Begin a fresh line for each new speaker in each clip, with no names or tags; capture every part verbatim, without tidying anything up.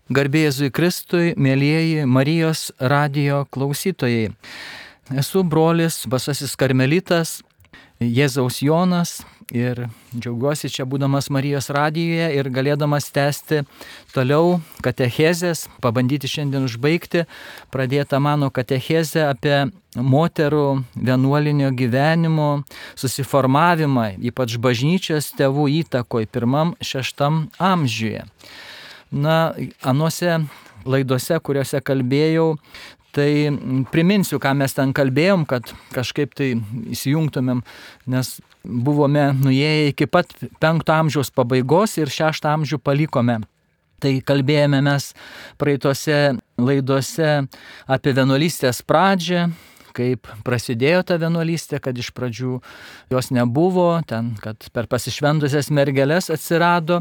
Garbė Jėzui Kristui, mėlyjeji Marijos radijo klausytojai. Esu brolis Basasis Karmelitas, Jėzaus Jonas ir džiaugiuosi čia būdamas Marijos radijoje ir galėdamas tęsti toliau katechezės, pabandyti šiandien užbaigti pradėtą mano katechezę apie moterų vienuolinio gyvenimo susiformavimą, ypač bažnyčios tėvų įtakoj pirmam šeštam amžiuje. Na, anuose laidose, kuriuose kalbėjau, tai priminsiu, ką mes ten kalbėjom, kad kažkaip tai įsijungtumėm, nes buvome nuėję iki pat penkto amžiaus pabaigos ir šeštą amžių palikome. Tai kalbėjome mes praeitose laidose apie vienuolystės pradžią, kaip prasidėjo ta vienuolystė, kad iš pradžių jos nebuvo, ten, kad per pasišventusias mergeles atsirado.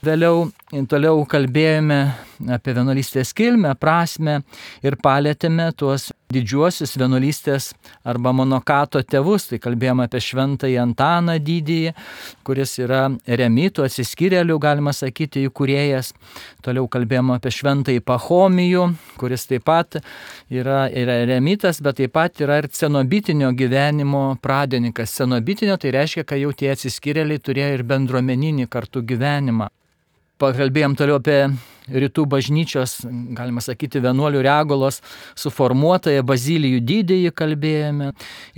Vėliau toliau kalbėjome apie vienuolystės kilmę, prasmę ir palėtėme tuos didžiuosius vienuolystės arba monokato tėvus. Tai kalbėjome apie šventąjį Antaną Didįjį, kuris yra eremitų, atsiskyrėlių, galima sakyti, įkūrėjas. Toliau kalbėjome apie šventąjį Pachomijų, kuris taip pat yra, yra eremitas, bet taip pat yra ir cenobitinio gyvenimo pradininkas. Cenobitinio tai reiškia, kad jau tie atsiskyrėliai turėjo ir bendruomeninį kartu gyvenimą. Pakalbėjom toliau apie rytų bažnyčios, galima sakyti, vienuolių Regulos suformuotąją Bazilijų Didįjį kalbėjome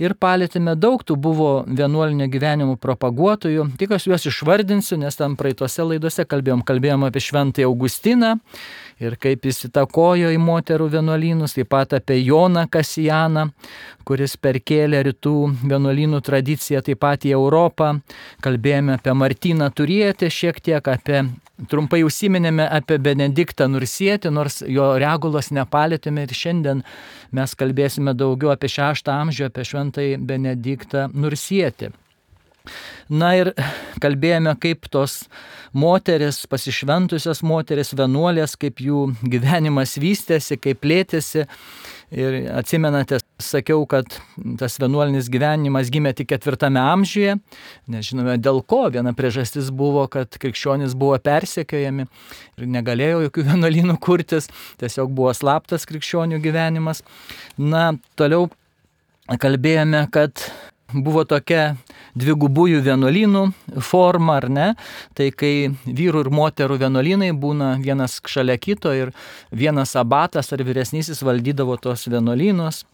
ir palėtėme daug tų buvo vienuolinio gyvenimo propaguotojų. Tik aš juos išvardinsiu, nes tam praeitose laidose kalbėjom, kalbėjom apie šventąjį Augustiną ir kaip jis įtakojo į moterų vienuolynus, taip pat apie Joną Kasianą, kuris perkėlė rytų vienuolynų tradiciją taip pat į Europą. Kalbėjome apie Martyną Turietį, šiek tiek apie, trumpai užsiminėme apie Benediktą Nursietį, nors jo Regulos nepalėtėme ir šiandien mes kalbėsime daugiau apie šeštą amžių, apie šventąjį Benediktą Nursietį. Na ir kalbėjome, kaip tos moteris, pasišventusios moteris, vienuolės, kaip jų gyvenimas vystėsi, kaip plėtėsi. Ir atsimenate, sakiau, kad tas vienuolinis gyvenimas gimė tik ketvirtame amžiuje. Nežinome dėl ko, viena priežastis buvo, kad krikščionys buvo persekiojami ir negalėjo jokių vienuolynų kurtis, tiesiog buvo slaptas krikščionių gyvenimas. Na, toliau kalbėjome, kad buvo tokia dvigubųjų vienuolynų forma, ar ne? Tai kai vyrų ir moterų vienuolynai būna vienas šalia kito ir vienas abatas ar vyresnysis valdydavo tos vienuolynus,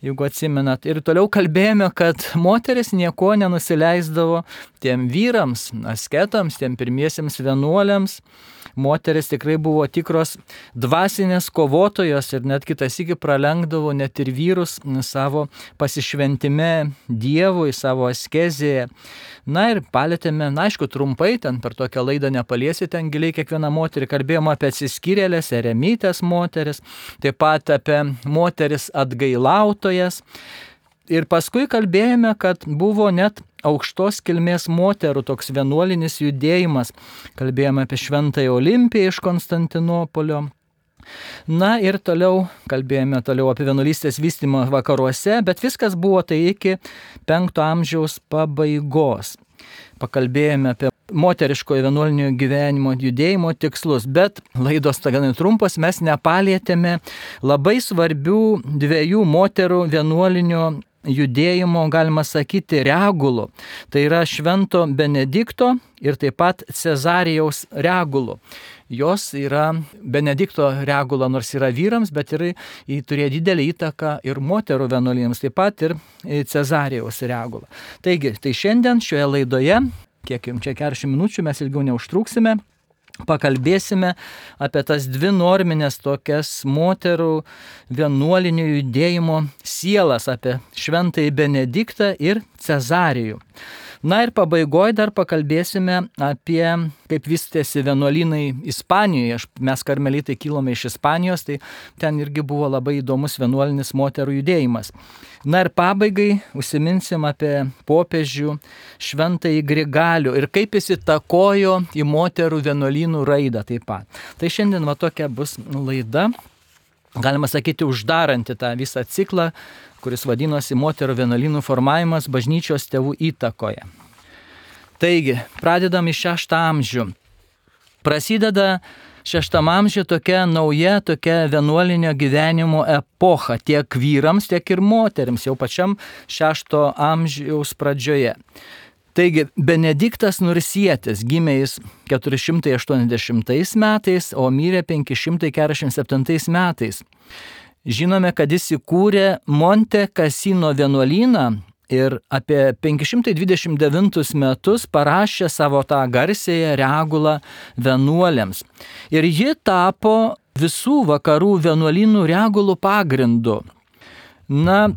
jeigu atsimenat. Ir toliau kalbėjome, kad moteris nieko nenusileisdavo tiem vyrams, asketams, tiem pirmiesiems vienuoliams. Moteris tikrai buvo tikros dvasinės kovotojos ir net kitas iki pralenkdavo net ir vyrus savo pasišventime Dievui, savo askezėje. Na ir palėtėme, na aišku, trumpai, ten per tokią laidą nepaliesi, ten giliai kiekvieną moterį, kalbėjome apie atsiskyrėlės, eremytės moteris, taip pat apie moteris atgailautojas. Ir paskui kalbėjome, kad buvo net aukštos kilmės moterų toks vienuolinis judėjimas. Kalbėjome apie šventąją Olimpiją iš Konstantinopolio. Na ir toliau kalbėjome toliau apie vienuolystės vystymą vakaruose, bet viskas buvo tai iki penkto amžiaus pabaigos. Pakalbėjome apie moteriškojo vienuolinio gyvenimo judėjimo tikslus, bet laidos gan trumpos, mes nepalietėme labai svarbių dviejų moterų vienuolinio judėjimo, galima sakyti, regulų. Tai yra švento Benedikto ir taip pat Cezarijaus regulų. Jos yra Benedikto regula, nors yra vyrams, bet ir jį turėjo didelį įtaką ir moterų vienuolynams, taip pat ir Cezarijaus regula. Taigi, tai šiandien šioje laidoje, kiek jums čia keturiasdešimt minučių, mes ilgiau neužtruksime, pakalbėsime apie tas dvi norminės tokias moterų vienuolinio judėjimo sielas, apie šventąjį Benediktą ir Cezarijų. Na ir pabaigoje dar pakalbėsime apie kaip vystėsi vienuolynai Ispanijoje. Mes karmelitai kilome iš Ispanijos, tai ten irgi buvo labai įdomus vienuolinis moterų judėjimas. Na ir pabaigai užsiminsim apie popiežių šventąjį Grigalių ir kaip jis įtakojo į moterų vienuolynų raidą taip pat. Tai šiandien va tokia bus laida, galima sakyti, uždaranti tą visą ciklą, kuris vadinosi moterų vienuolynų formavimas bažnyčios tėvų įtakoje. Taigi, pradedam iš šeštą amžių. Prasideda šeštam amžiuje tokia nauja, tokia vienuolinio gyvenimo epocha tiek vyrams, tiek ir moteriams, jau pačiam šešto amžiaus pradžioje. Taigi, Benediktas Nursietis gimė jis keturi šimtai aštuoniasdešimtais metais, o mirė penki šimtai keturiasdešimt septintais metais. Žinome, kad jis įkūrė Monte Cassino vienuolyną ir apie penki šimtai dvidešimt devintus metus parašė savo tą garsėją regulą vienuoliams. Ir ji tapo visų vakarų vienuolynų regulų pagrindu. Na,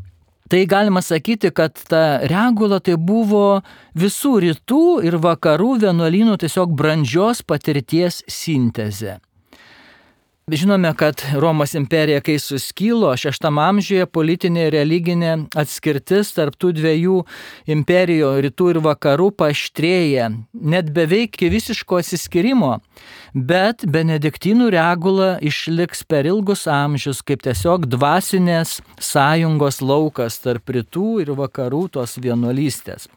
tai galima sakyti, kad ta regula tai buvo visų rytų ir vakarų vienuolynų tiesiog brandžios patirties sintezė. Žinome, kad Romos imperija, kai suskilo šeštam amžiuje, politinė ir religinė atskirtis tarp tų dviejų imperijų, rytų ir vakarų, paaštrėja, net beveik iki visiško atsiskyrimo, bet benediktinų regula išliks per ilgus amžius kaip tiesiog dvasinės sąjungos laukas tarp rytų ir vakarų tos vienuolystės.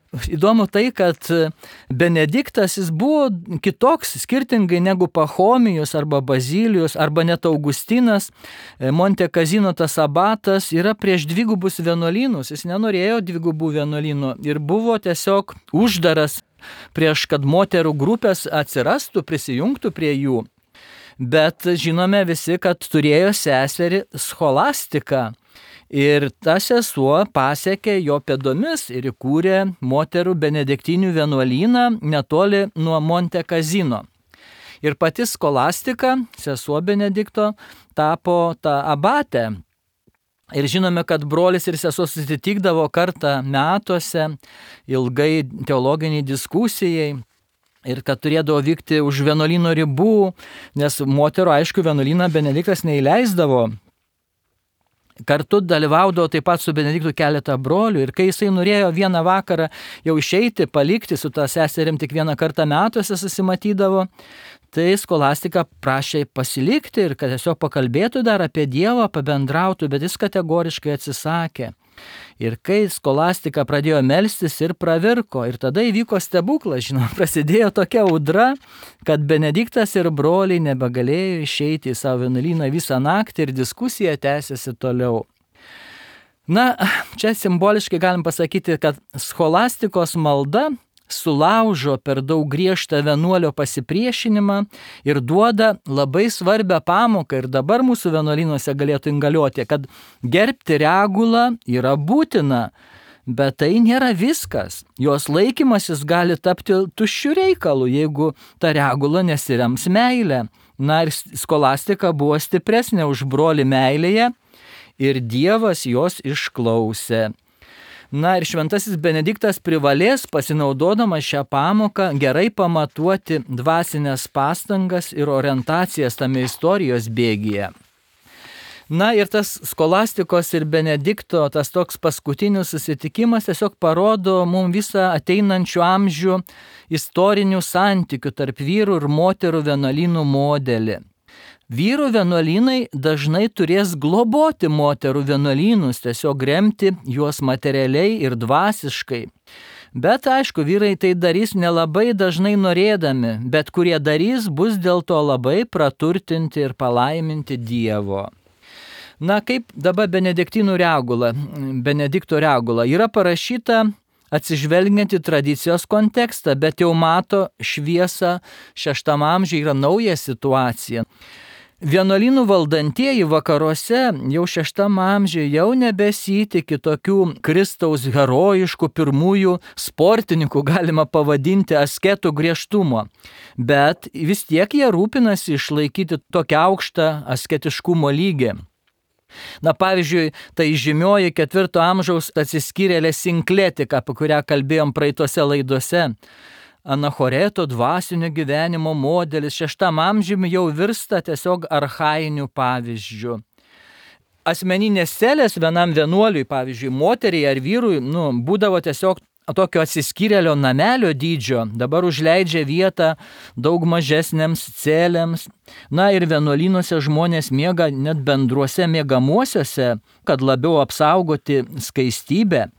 Įdomu tai, kad Benediktas jis buvo kitoks, skirtingai negu Pachomijus arba Bazilijus arba net Augustinas. Monte Cassino tas abatas yra prieš dvigubus vienuolynus, jis nenorėjo dvigubų vienuolynų ir buvo tiesiog uždaras prieš, kad moterų grupės atsirastų, prisijungtų prie jų. Bet žinome visi, kad turėjo seserį Scholastiką. Ir ta sesuo pasiekė jo pėdomis ir įkūrė moterų benediktinių vienuolyną netoli nuo Monte Cassino. Ir pati Scholastika, sesuo Benedikto, tapo tą abatę. Ir žinome, kad brolis ir sesuo susitikdavo kartą metuose ilgai teologiniai diskusijai. Ir kad turėdavo vykti už vienuolyno ribų, nes moterų, aišku, vienuolyną Benediktas neįleisdavo. Kartu dalyvaudavo taip pat su Benediktu keletą brolių ir kai jisai norėjo vieną vakarą jau išeiti, palikti su tą seserim tik vieną kartą metuose susimatydavo, tai Scholastika prašė pasilikti ir kad tiesiog pakalbėtų dar apie Dievą, pabendrautų, bet jis kategoriškai atsisakė. Ir kai Scholastika pradėjo melstis ir pravirko, ir tada įvyko stebuklas, žinoma, prasidėjo tokia audra, kad Benediktas ir broliai nebegalėjo išeiti į savo vienuolyną visą naktį ir diskusija tęsiasi toliau. Na, čia simboliškai galim pasakyti, kad Scholastikos malda sulaužo per daug griežtą vienuolio pasipriešinimą ir duoda labai svarbią pamoką ir dabar mūsų vienuolynuose galėtų ingaliuoti, kad gerbti regulą yra būtina, bet tai nėra viskas. Jos laikymasis gali tapti tuščiu reikalu, jeigu ta regula nesirems meilę. Na ir Scholastika buvo stipresnė už brolį meilėje ir Dievas jos išklausė. Na ir šventasis Benediktas privalės, pasinaudodamas šią pamoką, gerai pamatuoti dvasinės pastangas ir orientacijas tame istorijos bėgyje. Na ir tas Scholastikos ir Benedikto, tas toks paskutinis susitikimas tiesiog parodo mums visą ateinančių amžių istorinių santykių tarp vyrų ir moterų vienuolynų modelį. Vyrų vienuolynai dažnai turės globoti moterų vienuolynus, tiesiog remti juos materialiai ir dvasiškai. Bet aišku, vyrai tai darys nelabai dažnai norėdami, bet kurie darys, bus dėl to labai praturtinti ir palaiminti Dievo. Na kaip dabar benediktinų regula, Benedikto regula yra parašyta atsižvelgiant į tradicijos kontekstą, bet jau mato šviesą šeštam amžiuje, yra nauja situacija. Vienuolynų valdantieji vakaruose jau šeštam amžiuje jau nebesitikė tokių Kristaus herojiškų pirmųjų sportininkų, galima pavadinti asketų griežtumo, bet vis tiek jie rūpinasi išlaikyti tokią aukštą asketiškumo lygį. Na pavyzdžiui, tai žymioji ketvirto amžiaus atsiskyrėlė Sinkletika, apie kurią kalbėjom praeitose laidose. Anachoreto dvasinio gyvenimo modelis šeštam amžiumi jau virsta tiesiog archainiu pavyzdžiu. Asmeninės celės vienam vienuoliui, pavyzdžiui, moteriai ar vyrui, nu, būdavo tiesiog tokio atsiskyrėlio namelio dydžio, dabar užleidžia vietą daug mažesnėms celėms. Na ir vienuolynuose žmonės miega net bendruose miegamuosiuose, kad labiau apsaugoti skaistybę.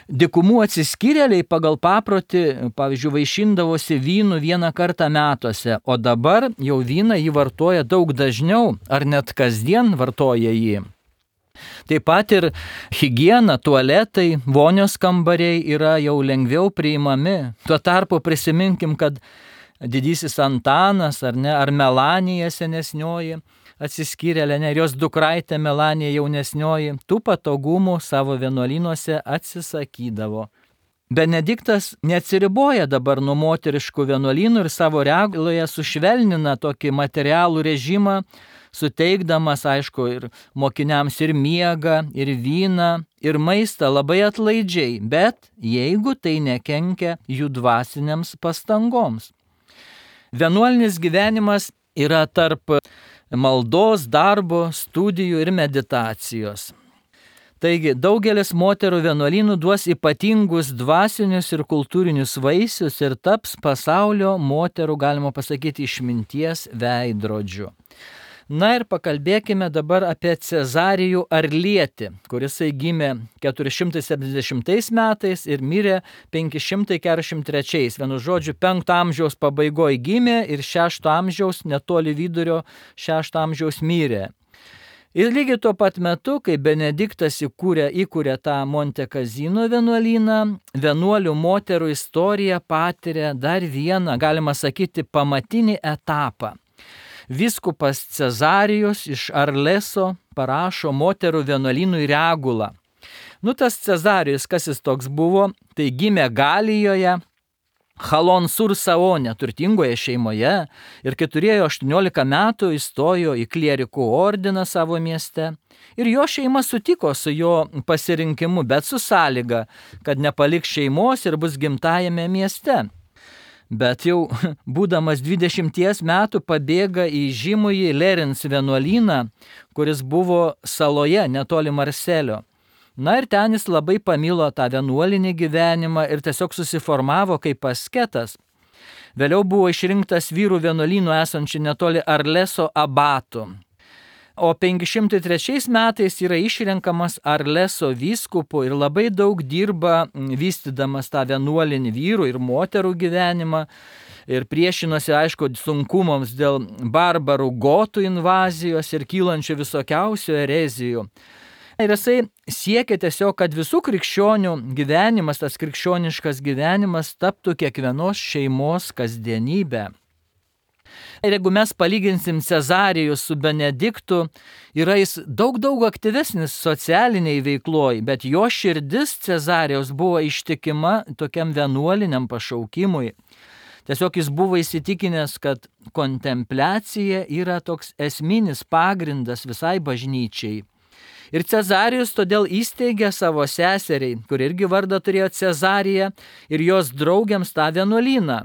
Dykumų atsiskyrėliai pagal paprotį, pavyzdžiui, vaišindavosi vynu vieną kartą metuose, o dabar jau vyną jį vartoja daug dažniau, ar net kasdien vartoja jį. Taip pat ir higiena, tualetai, vonios kambariai yra jau lengviau priimami. Tuo tarpu prisiminkim, kad didysis Antanas ar ne, ar Melanija senesnioji atsiskyrėlė, ne, ir jos dukraitė Melanija jaunesnioji, tų patogumų savo vienuolynuose atsisakydavo. Benediktas neatsiriboja dabar nuo moteriškų vienuolynų ir savo reguloje sušvelnina tokį materialų režimą, suteikdamas, aišku, ir mokiniams ir miegą, ir vyną, ir maistą labai atlaidžiai, bet jeigu tai nekenkia jų dvasiniams pastangoms. Vienuolinis gyvenimas yra tarp maldos, darbo, studijų ir meditacijos. Taigi, daugelis moterų vienuolynų duos ypatingus dvasinius ir kultūrinius vaisius ir taps pasaulio moterų, galima pasakyti, išminties veidrodžiu. Na ir pakalbėkime dabar apie Cezarijų Arlietį, kuris gimė keturi šimtai septyniasdešimtais metais ir mirė penki šimtai keturiasdešimt trečiais. Vienu žodžiu, penkto amžiaus pabaigoje gimė ir šešto amžiaus, netoli vidurio šešto amžiaus mirė. Ir lygiai tuo pat metu, kai Benediktas įkūrė, įkūrė tą Monte Cassino vienuolyną, vienuolių moterų istorija patiria dar vieną, galima sakyti, pamatinį etapą. Vyskupas Cezarijus iš Arleso parašo moterų vienuolynui regulą. Nu, tas Cezarijus, kas jis toks buvo, tai gimė Galijoje, Chalon sur Saone, turtingoje šeimoje, ir kai turėjo aštuoniolika metų, įstojo į klierikų ordiną savo mieste. Ir jo šeima sutiko su jo pasirinkimu, bet su sąlyga, kad nepaliks šeimos ir bus gimtajame mieste. Bet jau būdamas dvidešimties metų pabėga į žymųjį Lerins vienuolyną, kuris buvo saloje netoli Marselio. Na ir ten jis labai pamilo tą vienuolinį gyvenimą ir tiesiog susiformavo kaip asketas. Vėliau buvo išrinktas vyrų vienuolynų esančių netoli Arleso abatu. O penki šimtai trečiais metais yra išrenkamas Arleso vyskupu ir labai daug dirba vystydamas tą vienuolinį vyrų ir moterų gyvenimą ir priešinosi, aišku, sunkumams dėl barbarų gotų invazijos ir kylančių visokiausių erezijų. Ir jisai siekia tiesiog, kad visų krikščionių gyvenimas, tas krikščioniškas gyvenimas taptų kiekvienos šeimos kasdienybė. Ir jeigu mes palyginsim Cezarijų su Benediktu, yra jis daug, daug aktyvesnis socialiniai veikloj, bet jo širdis Cezarijaus buvo ištikima tokiam vienuoliniam pašaukimui. Tiesiog jis buvo įsitikinęs, kad kontempliacija yra toks esminis pagrindas visai bažnyčiai. Ir Cezarijus todėl įsteigė savo seseriai, kur irgi vardą turėjo Cezarija, ir jos draugiams tą vienuolyną.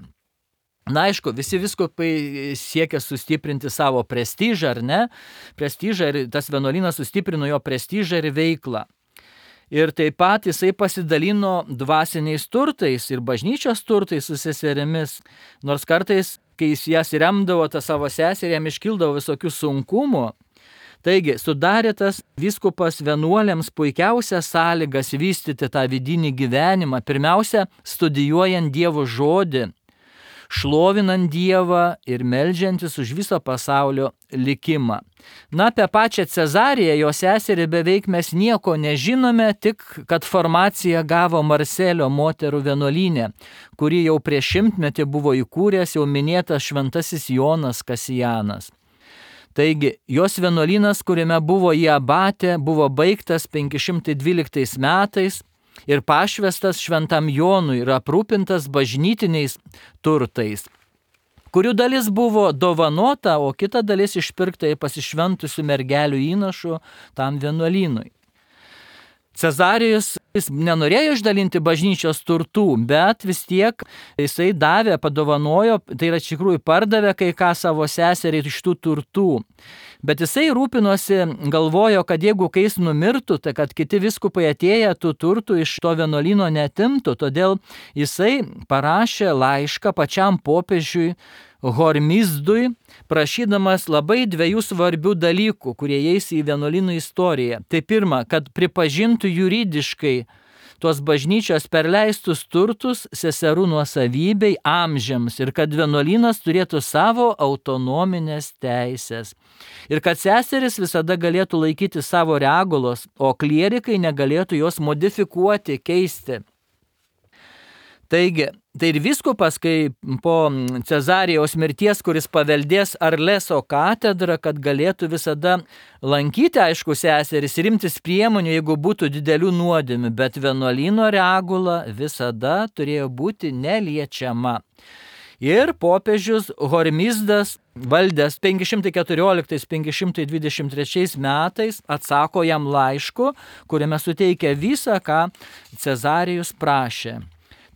Na aišku, visi vyskupai siekia sustiprinti savo prestižą, ar ne? Prestižą ir tas vienuolynas sustiprino jo prestižą ir veiklą. Ir taip pat jisai pasidalino dvasiniais turtais ir bažnyčios turtais su seserimis, nors kartais, kai jis jas remdavo, tą savo seserį, jam iškildavo visokių sunkumų. Taigi, sudarė tas vyskupas vienuoliams puikiausias sąlygas vystyti tą vidinį gyvenimą, pirmiausia, studijuojant Dievo žodį, šlovinant Dievą ir meldžiantis už viso pasaulio likimą. Na, apie pačią Cezariją, jo seserį, beveik mes nieko nežinome, tik kad formaciją gavo Marselio moterų vienuolyne, kuri jau prieš šimtmetį buvo įkūręs jau minėtas šventasis Jonas Kasijanas. Taigi, jos vienuolynas, kuriame buvo į abatę, buvo baigtas penki šimtai dvyliktais metais, ir pašvestas šventam Jonui ir aprūpintas bažnytiniais turtais, kurių dalis buvo dovanota, o kita dalis išpirkta pasišventusių mergelių įnašų tam vienuolynui. Cezarijus jis nenorėjo išdalinti bažnyčios turtų, bet vis tiek jisai davė, padovanojo, tai yra iš tikrųjų pardavė kai ką savo seseriai iš tų turtų. Bet jisai rūpinosi, galvojo, kad jeigu kai jis numirtų, tai kad kiti vyskupai atėję tų turtų iš to vienuolyno netimtų, todėl jisai parašė laišką pačiam popiežiui Hormizdui, prašydamas labai dviejų svarbių dalykų, kurie eis į vienuolynų istoriją. Tai pirma, kad pripažintų juridiškai tos bažnyčios perleistus turtus seserų nuosavybei amžiams ir kad vienuolynas turėtų savo autonominės teisės. Ir kad seseris visada galėtų laikyti savo regulos, o klierikai negalėtų jos modifikuoti, keisti. Taigi, tai ir vyskupas, kai po Cezarijaus mirties, kuris paveldės Arleso katedrą, kad galėtų visada lankyti, aišku, seseris ir imtis priemonių, jeigu būtų didelių nuodėmių, bet vienuolyno regula visada turėjo būti neliečiama. Ir popiežius Hormizdas, valdęs penki šimtai keturioliktais - penki šimtai dvidešimt trečiais metais, atsako jam laišku, kuriame suteikia visą, ką Cezarijus prašė.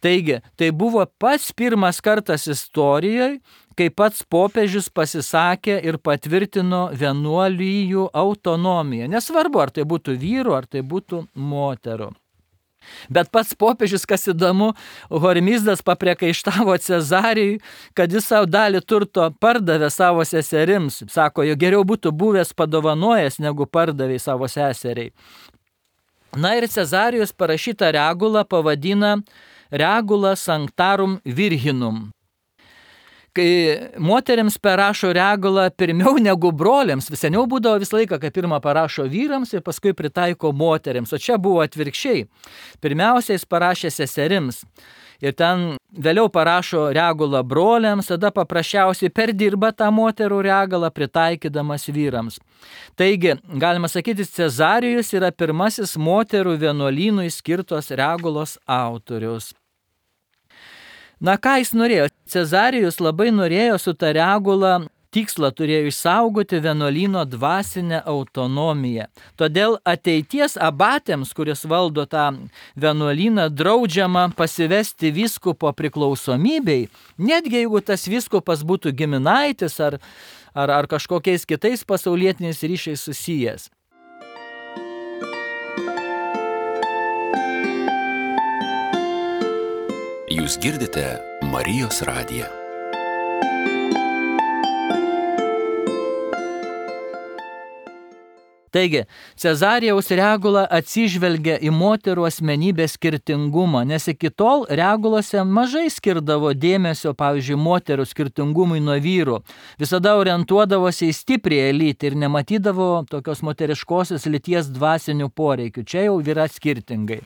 Taigi, tai buvo pats pirmas kartas istorijoje, kai pats popiežius pasisakė ir patvirtino vienuolijų autonomiją. Nesvarbu, ar tai būtų vyrų, ar tai būtų moterų. Bet pats popiežius, kas įdomu, Hormizdas papriekaištavo Cezarijui, kad jis savo dalį turto pardavė savo seserims. Sako, jo geriau būtų buvęs padovanojęs, negu pardavė savo seseriai. Na ir Cezarijus parašytą regulą pavadina Regula Sanctarum Virginum. Kai moteriams parašo regulą pirmiau negu broliams, vis seniau būdavo visą laiką, kai pirmą parašo vyrams ir paskui pritaiko moteriams, o čia buvo atvirkščiai. Pirmiausia, jis parašė seserims ir ten vėliau parašo regulą broliams, tada paprasčiausiai perdirba tą moterų regulą pritaikydamas vyrams. Taigi, galima sakyti, Cezarijus yra pirmasis moterų vienuolynui skirtos regulos autorius. Na ką jis norėjo? Cezarijus labai norėjo su ta regula, tikslą turėjo išsaugoti vienuolyno dvasinę autonomiją. Todėl ateities abatėms, kuris valdo tą vienuolyną, draudžiama pasivesti vyskupo priklausomybei, netgi jeigu tas vyskupas būtų giminaitis ar, ar, ar kažkokiais kitais pasaulietiniais ryšiais susijęs.
Jūs girdite Marijos radiją.
Taigi, Cezarijaus regula atsižvelgia į moterų asmenybės skirtingumą, nes iki tol regulose mažai skirdavo dėmesio, pavyzdžiui, moterų skirtingumui nuo vyrų. Visada orientuodavosi į stiprią elitę ir nematydavo tokios moteriškosios lyties dvasinių poreikių. Čia jau yra skirtingai.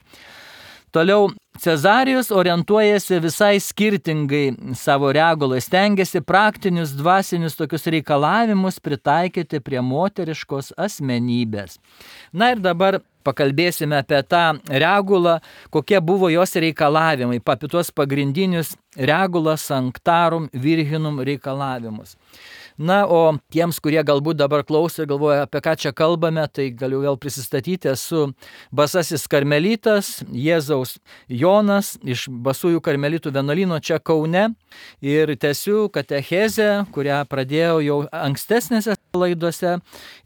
Toliau, Cezarijus orientuojasi visai skirtingai savo regulai, stengiasi praktinius dvasinius tokius reikalavimus pritaikyti prie moteriškos asmenybės. Na ir dabar pakalbėsime apie tą regulą, kokie buvo jos reikalavimai, apie tuos pagrindinius Regula Sanctarum Virginum reikalavimus. Na, o tiems, kurie galbūt dabar klauso ir galvoja, apie ką čia kalbame, tai galiu vėl prisistatyti, esu Basasis karmelitas, Jėzaus Jonas iš Basųjų karmelitų vienuolyno čia Kaune ir tęsiu katechezę, kurią pradėjau jau ankstesnėse laidose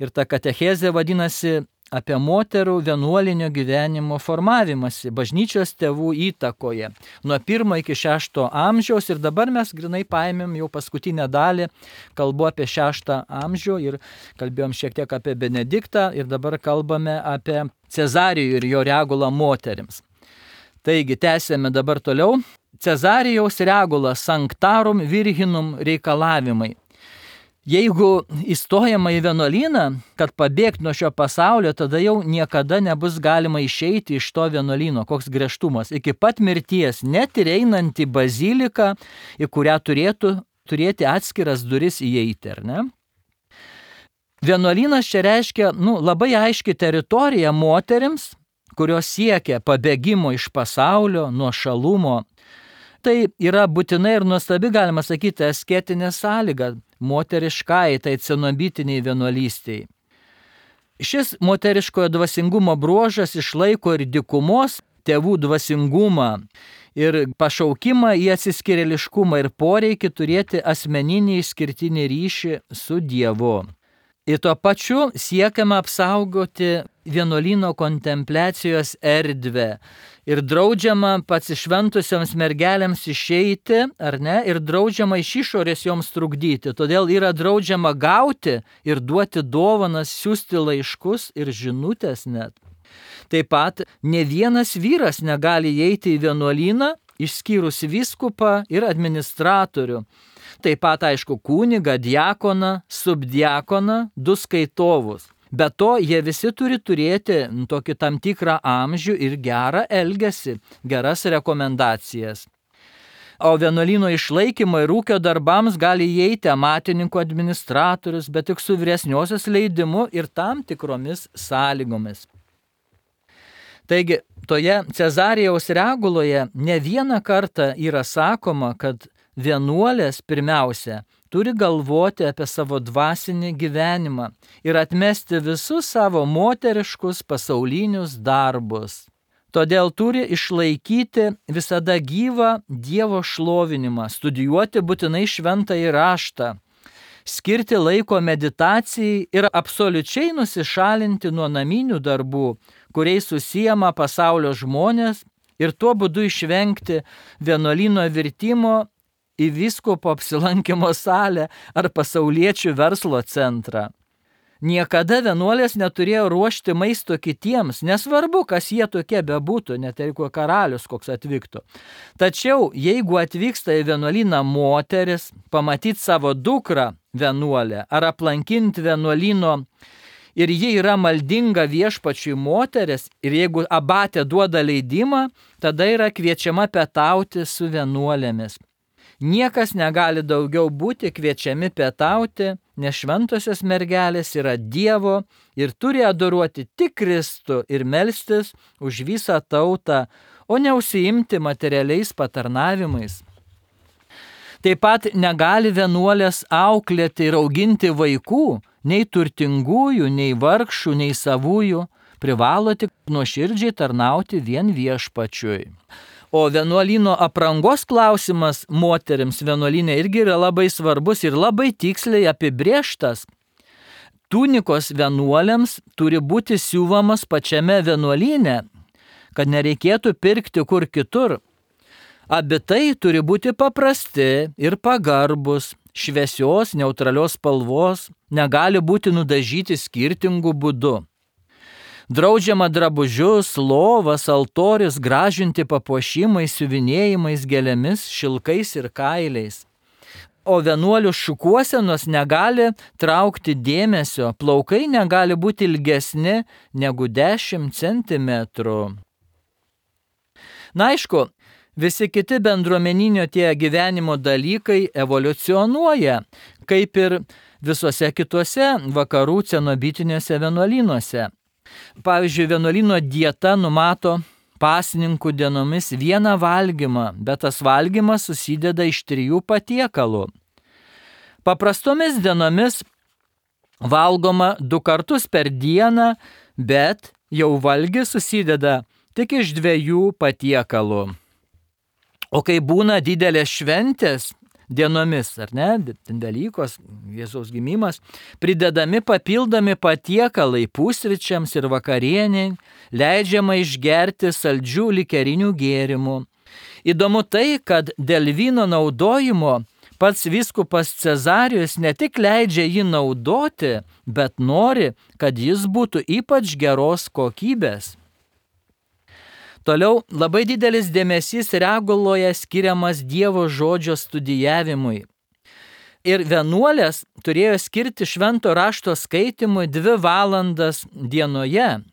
ir ta katechezė vadinasi apie moterų vienuolinio gyvenimo formavimąsi bažnyčios tėvų įtakoje nuo pirmo iki šešto amžiaus ir dabar mes grinai paėmėm jau paskutinę dalį, kalbu apie šeštą amžių ir kalbėjom šiek tiek apie Benediktą ir dabar kalbame apie Cezarijų ir jo regulą moterims. Taigi, tęsėme dabar toliau. Cezarijaus regula Sanctarum Virginum reikalavimai. Jeigu įstojama į vienuolyną, kad pabėgti nuo šio pasaulio, tada jau niekada nebus galima išeiti iš to vienuolyno, koks griežtumas. Iki pat mirties, net ir einant į baziliką, į kurią turėtų turėti atskiras duris įeiti, ar ne? Vienuolynas čia reiškia nu, labai aiški teritorija moterims, kurios siekia pabėgimo iš pasaulio, nuo šalumo. Tai yra būtinai ir nuostabi, galima sakyti, asketinė sąlyga moteriškai, tai cenobitiniai vienuolystei. Šis moteriškojo dvasingumo bruožas išlaiko ir dykumos tėvų dvasingumą ir pašaukimą į atsiskyrėliškumą ir poreikį turėti asmeninį išskirtinį ryšį su Dievu. Ir tuo pačiu siekiama apsaugoti vienuolyno kontempliacijos erdvę ir draudžiama pasišventusioms mergelėms išeiti, ar ne, ir draudžiama iš išorės joms trukdyti. Todėl yra draudžiama gauti ir duoti dovanas, siųsti laiškus ir žinutės net. Taip pat ne vienas vyras negali įeiti į vienuolyną, išskyrus vyskupą ir administratorių. Taip pat, aišku, kunigą, diakoną, subdiakoną, du skaitovus. Be to, jie visi turi turėti tokį tam tikrą amžių ir gerą elgesį, geras rekomendacijas. O vienuolyno išlaikymo ir ūkio darbams gali įeiti amatininkų administratorius, bet tik su vyresniosios leidimu ir tam tikromis sąlygomis. Taigi, toje Cezarijaus reguloje ne vieną kartą yra sakoma, kad vienuolės pirmiausia turi galvoti apie savo dvasinį gyvenimą ir atmesti visus savo moteriškus pasaulinius darbus. Todėl turi išlaikyti visada gyvą Dievo šlovinimą, studijuoti būtinai šventąjį raštą, skirti laiko meditacijai ir absoliučiai nusišalinti nuo naminių darbų, kuriais užsiema pasaulio žmonės, ir tuo būdu išvengti vienuolyno virtimo į vyskupo apsilankymo salę ar pasauliečių verslo centrą. Niekada vienuolės neturėjo ruošti maisto kitiems, nesvarbu, kas jie tokie bebūtų, net jeigu karalius koks atvyktų. Tačiau, jeigu atvyksta į vienuolyną moteris, pamatyti savo dukrą vienuolę ar aplankinti vienuolyno ir ji yra maldinga viešpačiui moteris ir jeigu abatė duoda leidimą, tada yra kviečiama pietauti su vienuolėmis. Niekas negali daugiau būti kviečiami pietauti, nes šventosios mergelės yra Dievo ir turi adoruoti tik Kristų ir melstis už visą tautą, o ne užsiimti materialiais patarnavimais. Taip pat negali vienuolės auklėti ir auginti vaikų, nei turtingųjų, nei vargšų, nei savųjų, privalo tik nuoširdžiai tarnauti vien viešpačiui. O vienuolyno aprangos klausimas moterims vienuolyne irgi yra labai svarbus ir labai tiksliai apibrėžtas. Tunikos vienuolėms turi būti siūvamas pačiame vienuolyne, kad nereikėtų pirkti kur kitur. Abitai turi būti paprasti ir pagarbus, šviesios, neutralios spalvos, negali būti nudažyti skirtingų būdų. Draudžiama drabužius, lovas, altorius gražinti papuošimais, siuvinėjimais, gėlėmis, šilkais ir kailiais. O vienuolių šukuosenos negali traukti dėmesio, plaukai negali būti ilgesni negu dešimt centimetrų. Na aišku, visi kiti bendruomeninio tie gyvenimo dalykai evoliucionuoja, kaip ir visuose kituose vakarų cenobitiniuose vienuolynuose. Pavyzdžiui, vienuolyno dieta numato pasninkų dienomis vieną valgymą, bet tas valgymas susideda iš trijų patiekalų. Paprastomis dienomis valgoma du kartus per dieną, bet jau valgis susideda tik iš dviejų patiekalų. O kai būna didelės šventės dienomis, ar ne, Velykos, Jėzaus gimimas, pridedami papildomi patiekalai pusryčiams ir vakarieniai, leidžiama išgerti saldžių likerinių gėrimų. Įdomu tai, kad dėl vyno naudojimo pats vyskupas Cezarijus ne tik leidžia jį naudoti, bet nori, kad jis būtų ypač geros kokybės. Toliau labai didelis dėmesys reguloje skiriamas Dievo žodžio studijavimui. Ir vienuolės turėjo skirti švento rašto skaitimui dvi valandas dienoje.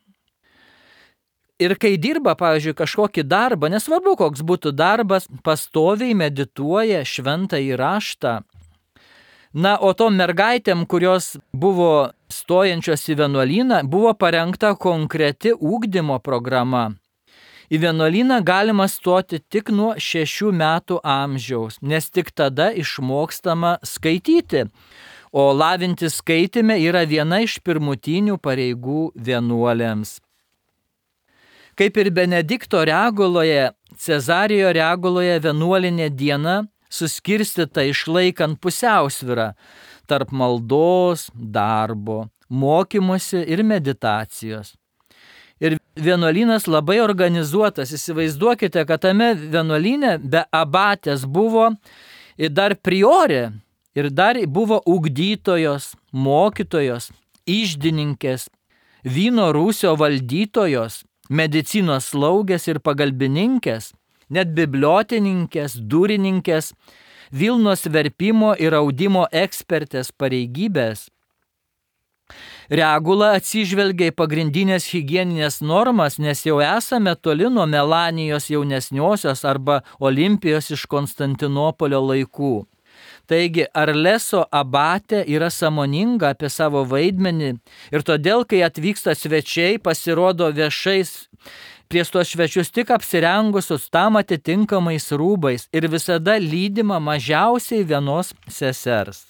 Ir kai dirba, pavyzdžiui, kažkokį darbą, nesvarbu koks būtų darbas, pastoviai medituoja šventąjį raštą. Na, o tom mergaitėm, kurios buvo stojančios į vienuolyną, buvo parengta konkreti ugdymo programa. Į vienuolyną galima stoti tik nuo šešių metų amžiaus, nes tik tada išmokstama skaityti, o lavinti skaitime yra viena iš pirmutinių pareigų vienuolėms. Kaip ir Benedikto reguloje, Cezarijo reguloje vienuolinė diena suskirstyta išlaikant pusiausvyrą tarp maldos, darbo, mokymosi ir meditacijos. Ir vienuolynas labai organizuotas. Įsivaizduokite, kad tame vienuolyne be abatės buvo ir dar priorė, ir dar buvo ugdytojos, mokytojos, iždininkės, vyno rūsio valdytojos, medicinos slaugės ir pagalbininkės, net bibliotininkės, durininkės, Vilnos verpimo ir audimo ekspertės pareigybės. Regula atsižvelgia į pagrindinės higieninės normas, nes jau esame toli nuo Melanijos jaunesniosios arba Olimpijos iš Konstantinopolio laikų. Taigi Arleso abatė yra sąmoninga apie savo vaidmenį ir todėl, kai atvyksta svečiai, pasirodo viešais prieš tuos svečius tik apsirengusius tam atitinkamais rūbais ir visada lydima mažiausiai vienos sesers.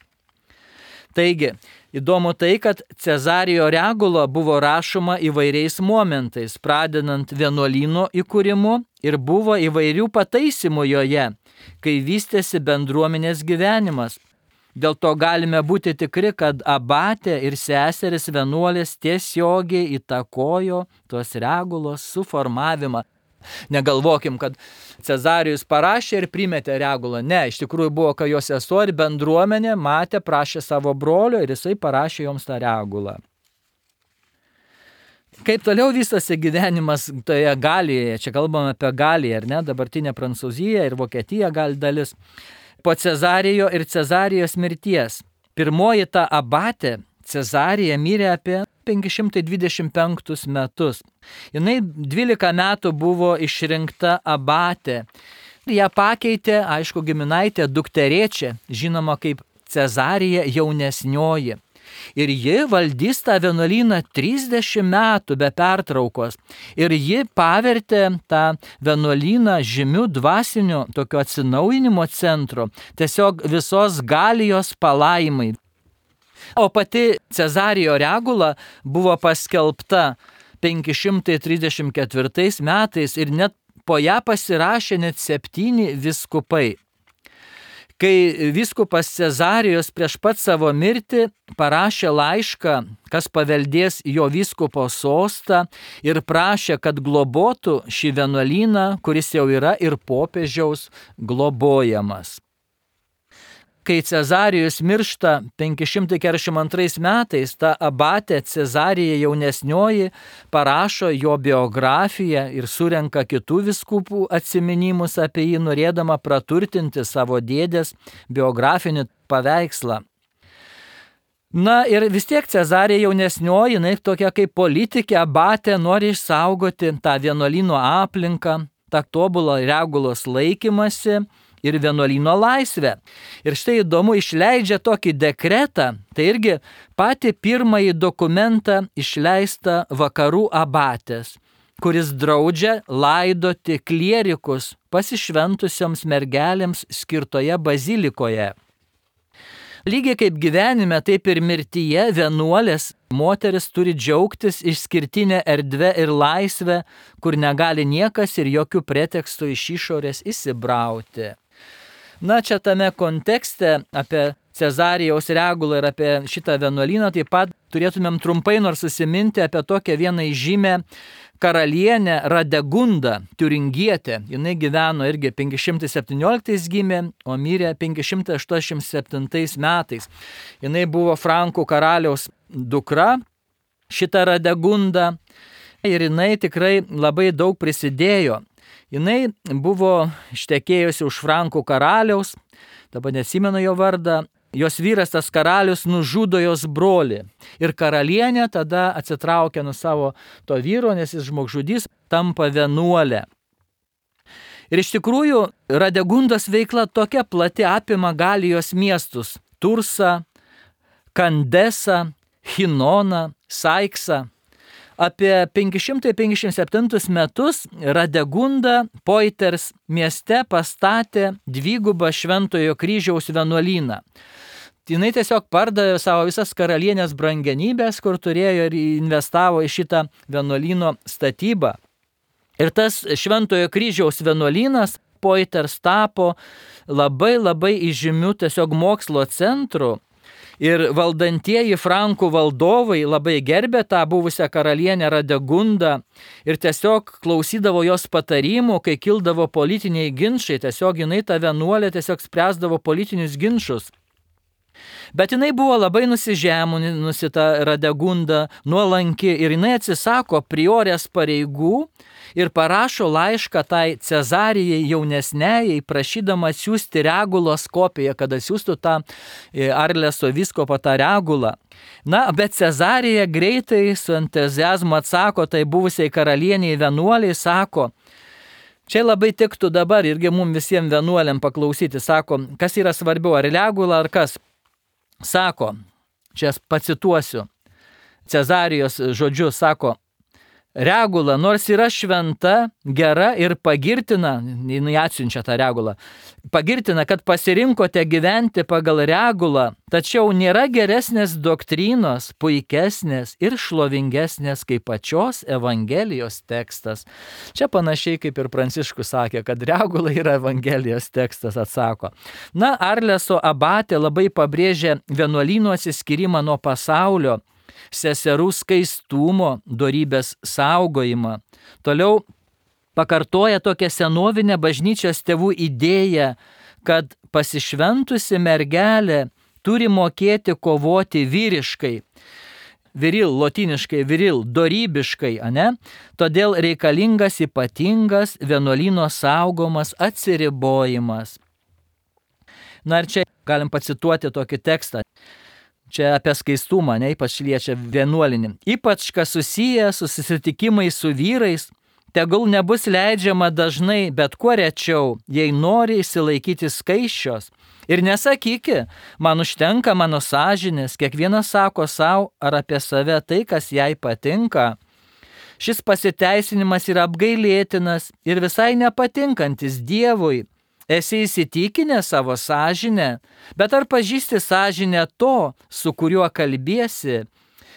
Taigi, įdomu tai, kad Cezarijo regula buvo rašoma įvairiais momentais, pradedant vienuolyno įkūrimu ir buvo įvairių pataisimų joje, kai vystėsi bendruomenės gyvenimas. Dėl to galime būti tikri, kad abatė ir seseris vienuolės tiesiogiai įtakojo tos regulos suformavimą. Negalvokim, kad Cezarijus parašė ir primetė regulą. Ne, iš tikrųjų buvo, kad jo sesuo ir bendruomenė matė, prašė savo brolio ir jisai parašė joms tą regulą. Kaip toliau vystosi gyvenimas toje Galijoje, čia kalbame apie Galiją, ar ne, dabartinė Prancūzija ir Vokietija gali dalis. Po Cezarijo ir Cezarijos mirties. Pirmoji ta abatė, Cezarija, mirė apie penki šimtai dvidešimt penktus metus. Jinai dvylika metų buvo išrinkta abatė. Ją pakeitė, aišku, giminaitė dukterėčia, žinoma kaip Cezarija jaunesnioji. Ir ji valdys tą vienuolyną trisdešimt metų be pertraukos. Ir ji pavertė tą vienuolyną žymių dvasinių tokio atsinaujinimo centro, tiesiog visos Galijos palaimai. O pati Cezarijo regula buvo paskelbta penki šimtai trisdešimt ketvirtais metais ir net po ją pasirašė net septyni vyskupai. Kai vyskupas Cezarijus prieš pat savo mirtį parašė laišką, kas paveldės jo vyskupo sostą ir prašė, kad globotų šį vienuolyną, kuris jau yra ir popiežiaus globojamas. Kai Cezarijus miršta penki šimtai keturiasdešimt antrais metais, ta abatė Cezarija jaunesnioji parašo jo biografiją ir surenka kitų vyskupų atsiminimus apie jį, norėdama praturtinti savo dėdės biografinį paveikslą. Na ir vis tiek Cezarija jaunesnioji, jinai tokia kaip politikė, abatė, nori išsaugoti tą vienuolyno aplinką, tą tobulą regulos laikymasi ir vienuolyno laisvę. Ir štai įdomu, išleidžia tokį dekretą, tai irgi patį pirmąjį dokumentą išleista vakarų abatės, kuris draudžia laidoti klierikus pasišventusioms mergelėms skirtoje bazilikoje. Lygiai kaip gyvenime, taip ir mirtyje vienuolės moteris turi džiaugtis išskirtinę erdvę ir laisvę, kur negali niekas ir jokių pretekstų iš išorės įsibrauti. Na, čia tame kontekste apie Cezarijaus regulą ir apie šitą vienuolyną taip pat turėtumėm trumpai nors susiminti apie tokią vieną įžymę karalienę Radegundą, tiuringietę. Jinai gyveno irgi penki šimtai septynioliktais gimė, o mirė penki šimtai aštuoniasdešimt septintais metais. Jinai buvo Frankų karaliaus dukra, šita Radegunda, ir jinai tikrai labai daug prisidėjo. Jinai buvo ištekėjusi už Frankų karaliaus, dabar neatsimenu jo vardą, jos vyras tas karalius nužudo jos brolį ir karalienė tada atsitraukia nuo savo to vyro, nes jis žmogžudys, tampa vienuolė. Ir iš tikrųjų Radegundos veikla tokia plati, apima Galijos miestus – Tursą, Kandesą, Hinoną, Saiksą. Apie penki šimtai penkiasdešimt septintus metus Radegunda Poitiers mieste pastatė dvigubą Šventojo kryžiaus vienuolyną. Jinai tiesiog pardavė savo visas karalienės brangenybės, kur turėjo ir investavo į šitą vienuolyno statybą. Ir tas Šventojo kryžiaus vienuolynas Poitiers tapo labai labai įžymiu tiesiog mokslo centru. Ir valdantieji Frankų valdovai labai gerbė tą buvusią karalienę Radegundą ir tiesiog klausydavo jos patarimų, kai kildavo politiniai ginčai, tiesiog jinai ta vienuolė tiesiog spręsdavo politinius ginčus. Bet jinai buvo labai nusižeminusi ta Radegunda, nuolanki ir jinai atsisako priorės pareigų ir parašo laišką tai Cezarijai jaunesnėjai, prašydama siūsti Regulos kopiją, kad siūstų tą Arleso vyskupą tą Regulą. Na, bet Cezarija greitai su entuziazmu atsako, tai buvusiai karalieniai vienuoliai sako, čia labai tiktų dabar irgi mums visiems vienuoliam paklausyti, sako, kas yra svarbiau, ar Regula, ar kas? Sako, čia pacituosiu, Cezarijos žodžius, sako, Regula, nors yra šventa, gera ir pagirtina, jinai atsiunčia tą Regulą, pagirtina, kad pasirinkote gyventi pagal Regulą, tačiau nėra geresnės doktrinos, puikesnės ir šlovingesnės kaip pačios Evangelijos tekstas. Čia panašiai kaip ir Pranciškus sakė, kad Regula yra Evangelijos tekstas, atsako. Na, Arleso abatė labai pabrėžė vienuolyno atsiskyrimą nuo pasaulio, seserų skaistumo, dorybės saugojimą. Toliau pakartoja tokią senovinę bažnyčios tėvų idėją, kad pasišventusi mergelė turi mokėti kovoti vyriškai. Viril, lotiniškai viril, dorybiškai, ane? Todėl reikalingas ypatingas vienuolyno saugomas atsiribojimas. Na ir čia galim pacituoti tokį tekstą. Čia apie skaistumą, ne, ypač liečia vienuolinį. Ypač, kas susiję su susitikimais su vyrais, tegul nebus leidžiama dažnai, bet kuo rečiau, jei nori išsilaikyti skaisčios. Ir nesakyki, man užtenka mano sąžinės, kiekvienas sako savo ar apie save tai, kas jai patinka. Šis pasiteisinimas yra apgailėtinas ir visai nepatinkantis Dievui. Esi įsitikinę savo sąžinę, bet ar pažįsti sąžinę to, su kuriuo kalbiesi?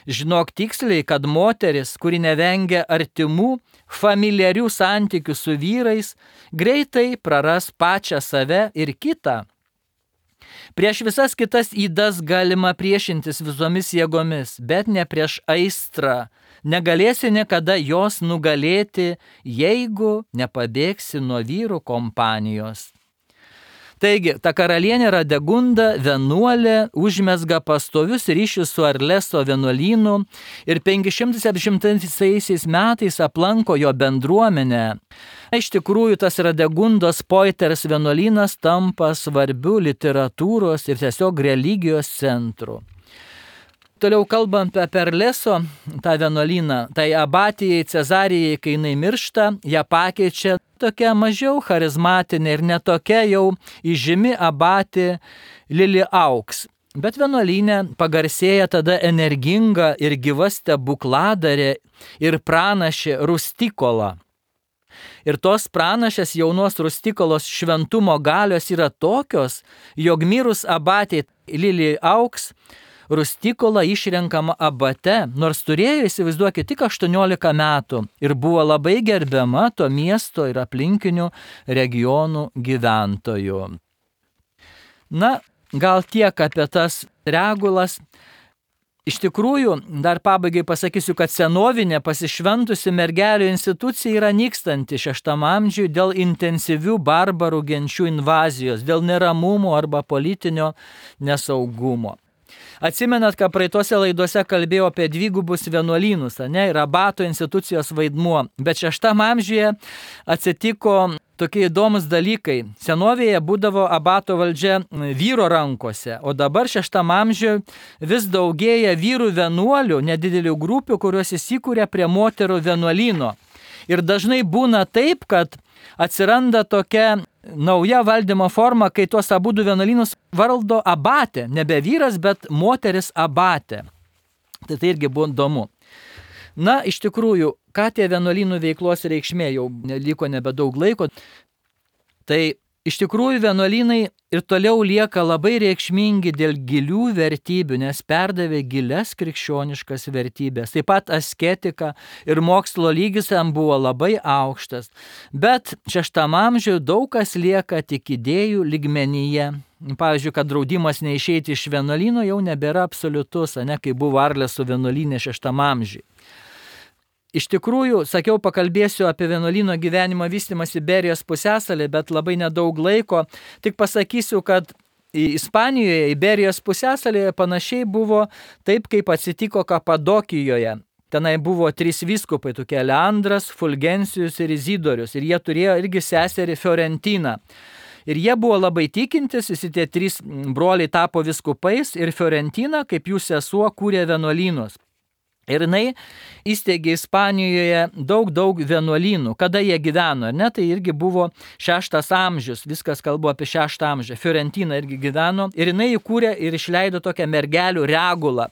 Žinok tiksliai, kad moteris, kuri nevengia artimų, familiarių santykių su vyrais, greitai praras pačią save ir kitą. Prieš visas kitas ydas galima priešintis visomis jėgomis, bet ne prieš aistrą. Negalėsi niekada jos nugalėti, jeigu nepabėgsi nuo vyrų kompanijos. Taigi, ta karalienė Radegunda, vienuolė, užmezga pastovius ryšius su Arleso vienuolynu ir penki šimtai septyniasdešimtaisiais metais aplanko jo bendruomenę. Iš tikrųjų, tas Radegundos Poiters vienuolynas tampa svarbiu literatūros ir tiesiog religijos centru. Toliau kalbant apie Arleso tą vienuolyną, tai abatijai Cezarijai, kai jinai miršta, ją pakeičia tokia mažiau charizmatinė ir netokia jau įžymi abatė Lili Auks. Bet vienuolynė pagarsėja tada energinga ir gyva stebukladarė ir pranašė Rustikola. Ir tos pranašės jaunos Rustikolos šventumo galios yra tokios, jog mirus abatė Lili Auks, Rustikola išrenkama abate, nors turėjo, įsivaizduokit, tik aštuoniolika metų ir buvo labai gerbiama to miesto ir aplinkinių regionų gyventojų. Na, gal tiek apie tas Regulas. Iš tikrųjų, dar pabaigai pasakysiu, kad senovinė pasišventusi mergelių institucija yra nykstanti šeštam amžiui dėl intensyvių barbarų genčių invazijos, dėl neramumų arba politinio nesaugumo. Atsimenat, kad praeitose laidose kalbėjau apie dvigubus vienuolynus, ne, ir abato institucijos vaidmuo, bet šeštam amžiuje atsitiko tokie įdomus dalykai. Senovėje būdavo abato valdžia vyro rankose, o dabar šeštam amžiuje vis daugėja vyrų vienuolių, nedidelių grupių, kurios įsikūrė prie moterų vienuolyno. Ir dažnai būna taip, kad atsiranda tokia nauja valdymo forma, kai tuos abudu vienuolynus valdo abatė, nebe vyras, bet moteris abatė. Tai tai irgi buvo įdomu. Na, iš tikrųjų, ką tie vienuolynų veiklos reikšmė, jau liko nebedaug laiko, tai iš tikrųjų vienuolynai ir toliau lieka labai reikšmingi dėl gilių vertybių, nes perdavė gilias krikščioniškas vertybės. Taip pat asketika ir mokslo lygis jam buvo labai aukštas. Bet šeštam amžiuje daug kas lieka tik idėjų lygmenyje. Pavyzdžiui, kad draudimas neišeiti iš vienuolyno jau nebėra absoliutus, ne, kai buvo Arleso vienuolynė šeštam amžiuje. Iš tikrųjų, sakiau, pakalbėsiu apie vienuolyno gyvenimo vystymąsi Iberijos pusiasalį, bet labai nedaug laiko. Tik pasakysiu, kad Ispanijoje, Iberijos pusiasalyje panašiai buvo taip, kaip atsitiko Kapadokijoje. Tenai buvo trys vyskupai, tokie Leandras, Fulgencijus ir Izidorius. Ir jie turėjo irgi seserį Fiorentiną. Ir jie buvo labai tikintis, visi tie trys broliai tapo vyskupais ir Fiorentina, kaip jų sesuo, kūrė vienuolynus. Ir jinai įsteigė Ispanijoje daug, daug vienuolynų. Kada jie gyveno, ne? Tai irgi buvo šeštas amžius, viskas kalbu apie šeštą amžių. Fiorentina irgi gyveno ir jinai įkūrė ir išleido tokią mergelių regulą.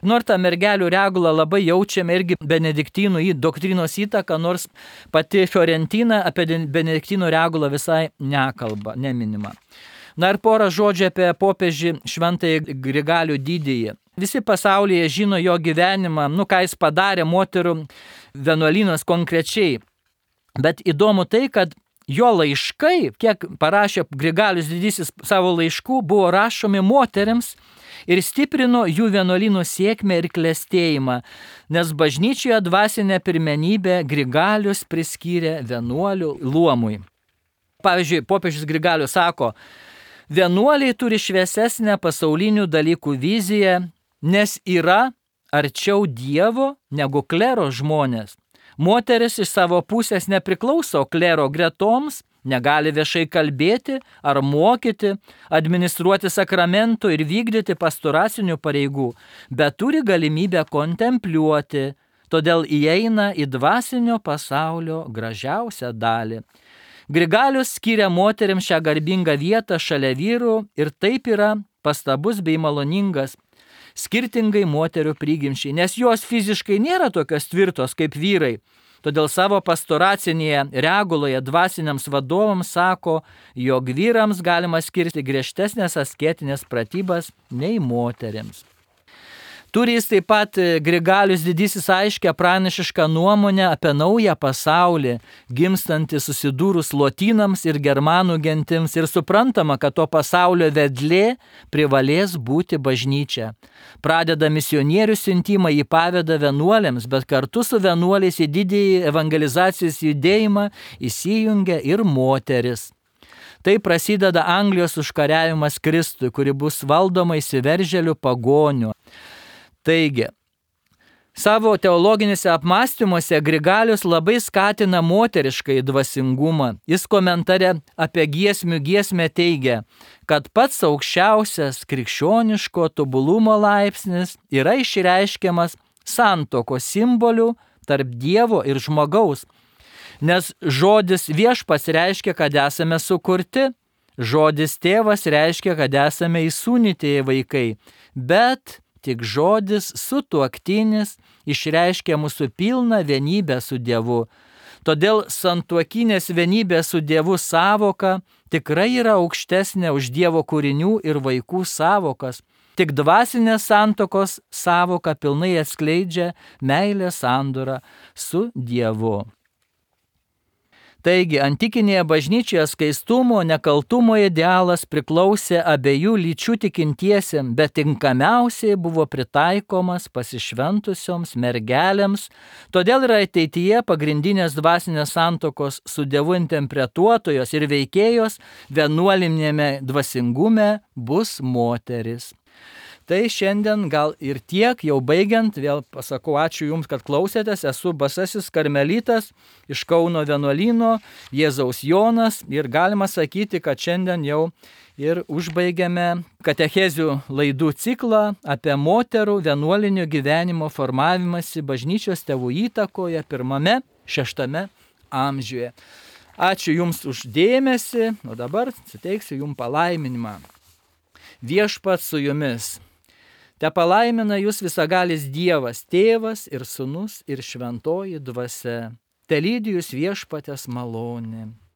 Nors tą mergelių regulą labai jaučiame irgi benediktynų į doktrinos įtaką, nors pati Fiorentina apie benediktynų regulą visai nekalba, neminima. Na ir porą žodžių apie popiežį Šventąjį Grigalių Didįjį. Visi pasaulyje žino jo gyvenimą, nu ką jis padarė moterų vienuolynas konkrečiai. Bet įdomu tai, kad jo laiškai, kiek parašė Grigalius Didysis savo laiškų, buvo rašomi moteriams ir stiprino jų vienuolynų sėkmę ir klestėjimą, nes bažnyčioje dvasinę pirmenybę Grigalius priskyrė vienuolių luomui. Pavyzdžiui, popiežius Grigalius sako, vienuoliai turi šviesesnę pasaulinių dalykų viziją, nes yra arčiau Dievo negu klero žmonės. Moteris iš savo pusės nepriklauso klero gretoms, negali viešai kalbėti ar mokyti, administruoti sakramentų ir vykdyti pastoracinių pareigų, bet turi galimybę kontempliuoti, todėl įeina į dvasinio pasaulio gražiausią dalį. Grigalius skiria moterims šią garbingą vietą šalia vyrų ir taip yra pastabus bei maloningas, skirtingai moterių prigimčiai, nes jos fiziškai nėra tokios tvirtos kaip vyrai. Todėl savo pastoracinėje reguloje dvasiniams vadovams sako, jog vyrams galima skirti griežtesnės asketinės pratybas nei moterims. Turi jis taip pat Grigalius Didysis aiškę pranašišką nuomonę apie naują pasaulį, gimstantį susidūrus lotynams ir germanų gentims ir suprantama, kad to pasaulio vedlė privalės būti bažnyčia. Pradeda misionierių siuntimą, jį paveda vienuolėms, bet kartu su vienuoliais į didįjį evangelizacijos judėjimą įsijungia ir moteris. Tai prasideda Anglijos užkariavimas Kristui, kuri bus valdoma įsiveržėlių pagonių. Taigi, savo teologinėse apmąstymuose Grigalius labai skatina moteriškai dvasingumą. Jis komentare apie giesmių giesmę teigia, kad pats aukščiausias krikščioniško tobulumo laipsnis yra išreiškiamas santuokos simboliu tarp Dievo ir žmogaus, nes žodis viešpats reiškia, kad esame sukurti, žodis tėvas reiškia, kad esame įsūnytieji vaikai, bet tik žodis sutuoktinis išreiškia mūsų pilną vienybę su Dievu. Todėl santuokinės vienybės su Dievu sąvoka tikrai yra aukštesnė už Dievo kūrinių ir vaikų sąvokas. Tik dvasinės santuokos sąvoka pilnai atskleidžia meilės sandorą su Dievu. Taigi, antikinėje bažnyčioje skaistumo, nekaltumo idealas priklausė abiejų lyčių tikintiesiems, bet tinkamiausiai buvo pritaikomas pasišventusioms mergelėms, todėl ir ateityje pagrindinės dvasinės santuokos su Dievu interpretuotojos ir veikėjos vienuolinėme dvasingume bus moteris. Tai šiandien gal ir tiek, jau baigiant, vėl pasakau ačiū Jums, kad klausėtės, esu Basasis Karmelitas iš Kauno vienuolyno, Jėzaus Jonas ir galima sakyti, kad šiandien jau ir užbaigiame katechezių laidų ciklą apie moterų vienuolinio gyvenimo formavimąsi bažnyčios tėvų įtakoje pirmame, šeštame amžiuje. Ačiū Jums už dėmesį, o dabar suteiksiu Jums palaiminimą. Viešpats su Jumis. Te palaimina jūs visagalis Dievas, Tėvas ir Sūnus ir Šventoji Dvasia. Te lydi jūs viešpaties malonė.